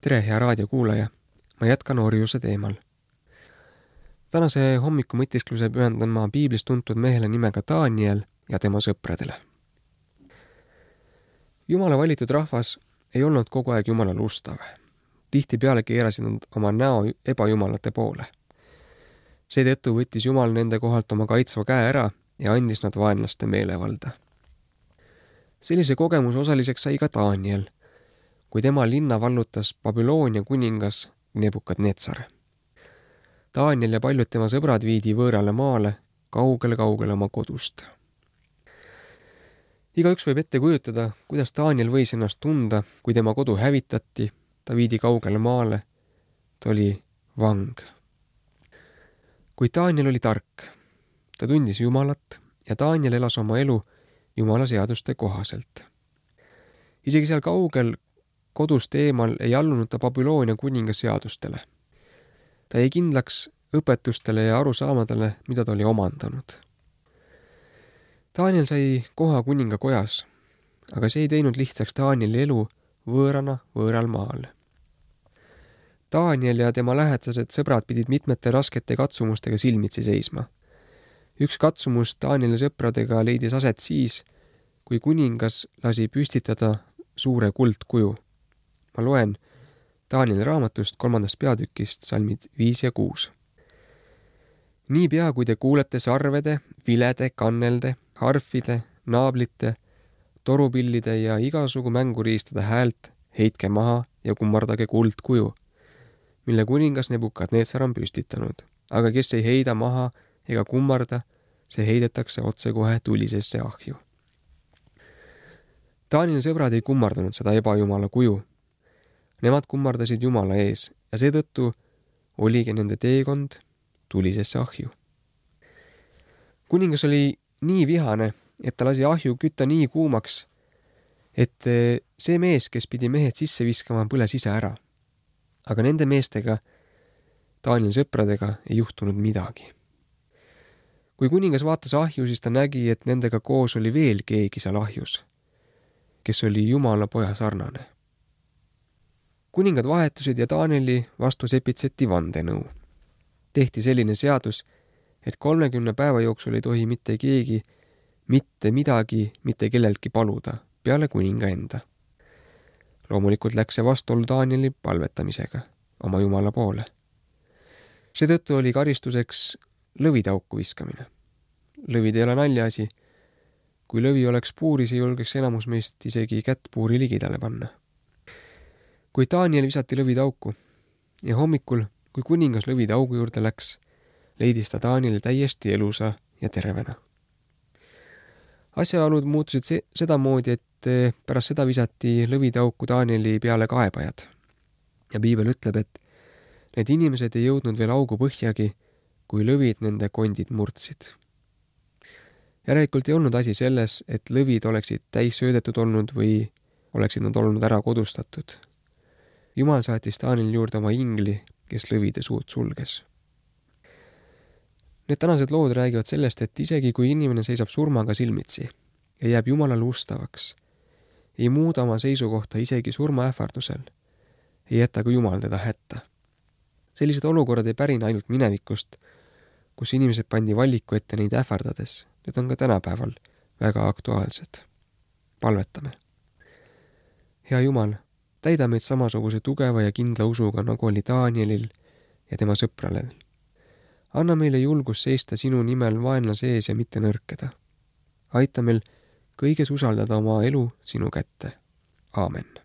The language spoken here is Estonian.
Tere, hea raadiokuulaja! Ma jätkan orjuse teemal. Tänase hommiku mõtiskluse pühendan ma piiblis tuntud mehele nimega Daniel ja tema sõpradele. Jumala valitud rahvas ei olnud kogu aeg Jumalale ustav. Tihtipeale keerasid nad oma näo ebajumalate poole. Seetõttu võttis Jumal nende kohalt oma kaitsva käe ära ja andis nad vaenlaste meelevalda. Sellise kogemuse osaliseks sai ka Daniel, kui tema linna vallutas Babyloonia kuningas Nebukadnetsar. Daniel ja paljud tema sõbrad viidi võõrale maale, kaugele oma kodust. Igaüks võib ette kujutada, kuidas Daniel võis ennast tunda, kui tema kodu hävitati, ta viidi kaugele maale, ta oli vang. Kuid Daniel oli tark, ta tundis Jumalat ja Daniel elas oma elu Jumala seaduste kohaselt. Isegi seal kaugel kodust eemal ei allunud ta Babyloonia kuninga seadustele. Ta jäi kindlaks õpetustele ja arusaamadele, mida ta oli omandanud. Daniel sai koha kuninga kojas, aga see ei teinud lihtsaks Danieli elu võõrana võõral maal. Daniel ja tema lähedased sõbrad pidid mitmete raskete katsumustega silmitsi seisma. Üks katsumus Danieli sõpradega leidis aset siis, kui kuningas lasi püstitada suure kuldkuju. Ma loen Danieli raamatust 3. peatükist salmid 5 ja 6. Niipea, kui te kuulete sarvede, vilede, kannelde, harfide, naablite, torupillide ja igasugu mänguriistade häält, heitke maha ja kummardage kuldkuju, mille kuningas Nebukadnetsar on püstitanud. Aga kes ei heida maha ega kummarda, see heidetakse otsekohe tulisesse ahju. Danieli sõbrad ei kummardanud seda ebajumala kuju. Nemad kummardasid Jumala ees ja seetõttu oligi nende teekond tulisesse ahju. Kuningas oli nii vihane, et ta lasi ahju kütta nii kuumaks, et see mees, kes pidi mehed sisse viskama, põles ise ära. Aga nende meestega, Danieli sõpradega, ei juhtunud midagi. Kui kuningas vaatas ahju, siis ta nägi, et nendega koos oli veel keegi seal ahjus, kes oli Jumala poja sarnane. Kuningad vahetusid ja Danieli vastu sepitseti vandenõu. Tehti selline seadus, et 30 päeva jooksul ei tohi mitte keegi mitte midagi mitte kelleltki paluda, peale kuninga enda. Loomulikult läks see vastuollu Danieli palvetamisega oma Jumala poole. Seetõttu oli karistuseks lõvidauku viskamine. Lõvid ei ole naljaasi. Kui lõvi oleks puuris, ei julgeks enamus meist isegi kätt puuri ligidale panna. Kui Daniel visati lõvidauku ja hommikul, kui kuningas lõvidaugu juurde läks, leidis ta Danieli täiesti elusa ja tervena. Asjaolud muutusid sedamoodi, et pärast seda visati lõvidauku Danieli peale kaebajad. Ja piibel ütleb, et need inimesed ei jõudnud veel augu põhjagi, kui lõvid nende kondid murdsid. Järelikult ei olnud asi selles, et lõvid oleksid täis söödetud olnud või oleksid nad olnud ära kodustatud. Jumal saatis Danieli juurde oma ingli, kes lõvide suud sulges. Need tänased lood räägivad sellest, et isegi kui inimene seisab surmaga silmitsi ja jääb Jumalale ustavaks, ei muuda oma seisukohta isegi surmaähvardusel, ei jäta ka Jumal teda hätta. Sellised olukorrad ei pärine ainult minevikust, kus inimesed pandi valiku ette neid ähvardades. Need on ka tänapäeval väga aktuaalsed. Palvetame. Hea Jumal, täida meid samasuguse tugeva ja kindla usuga, nagu oli Danielil ja tema sõpralel. Anna meile julgus seista sinu nimel vaenlase ees ja mitte nõrkeda. Aita meil kõiges usaldada oma elu sinu kätte. Aamen.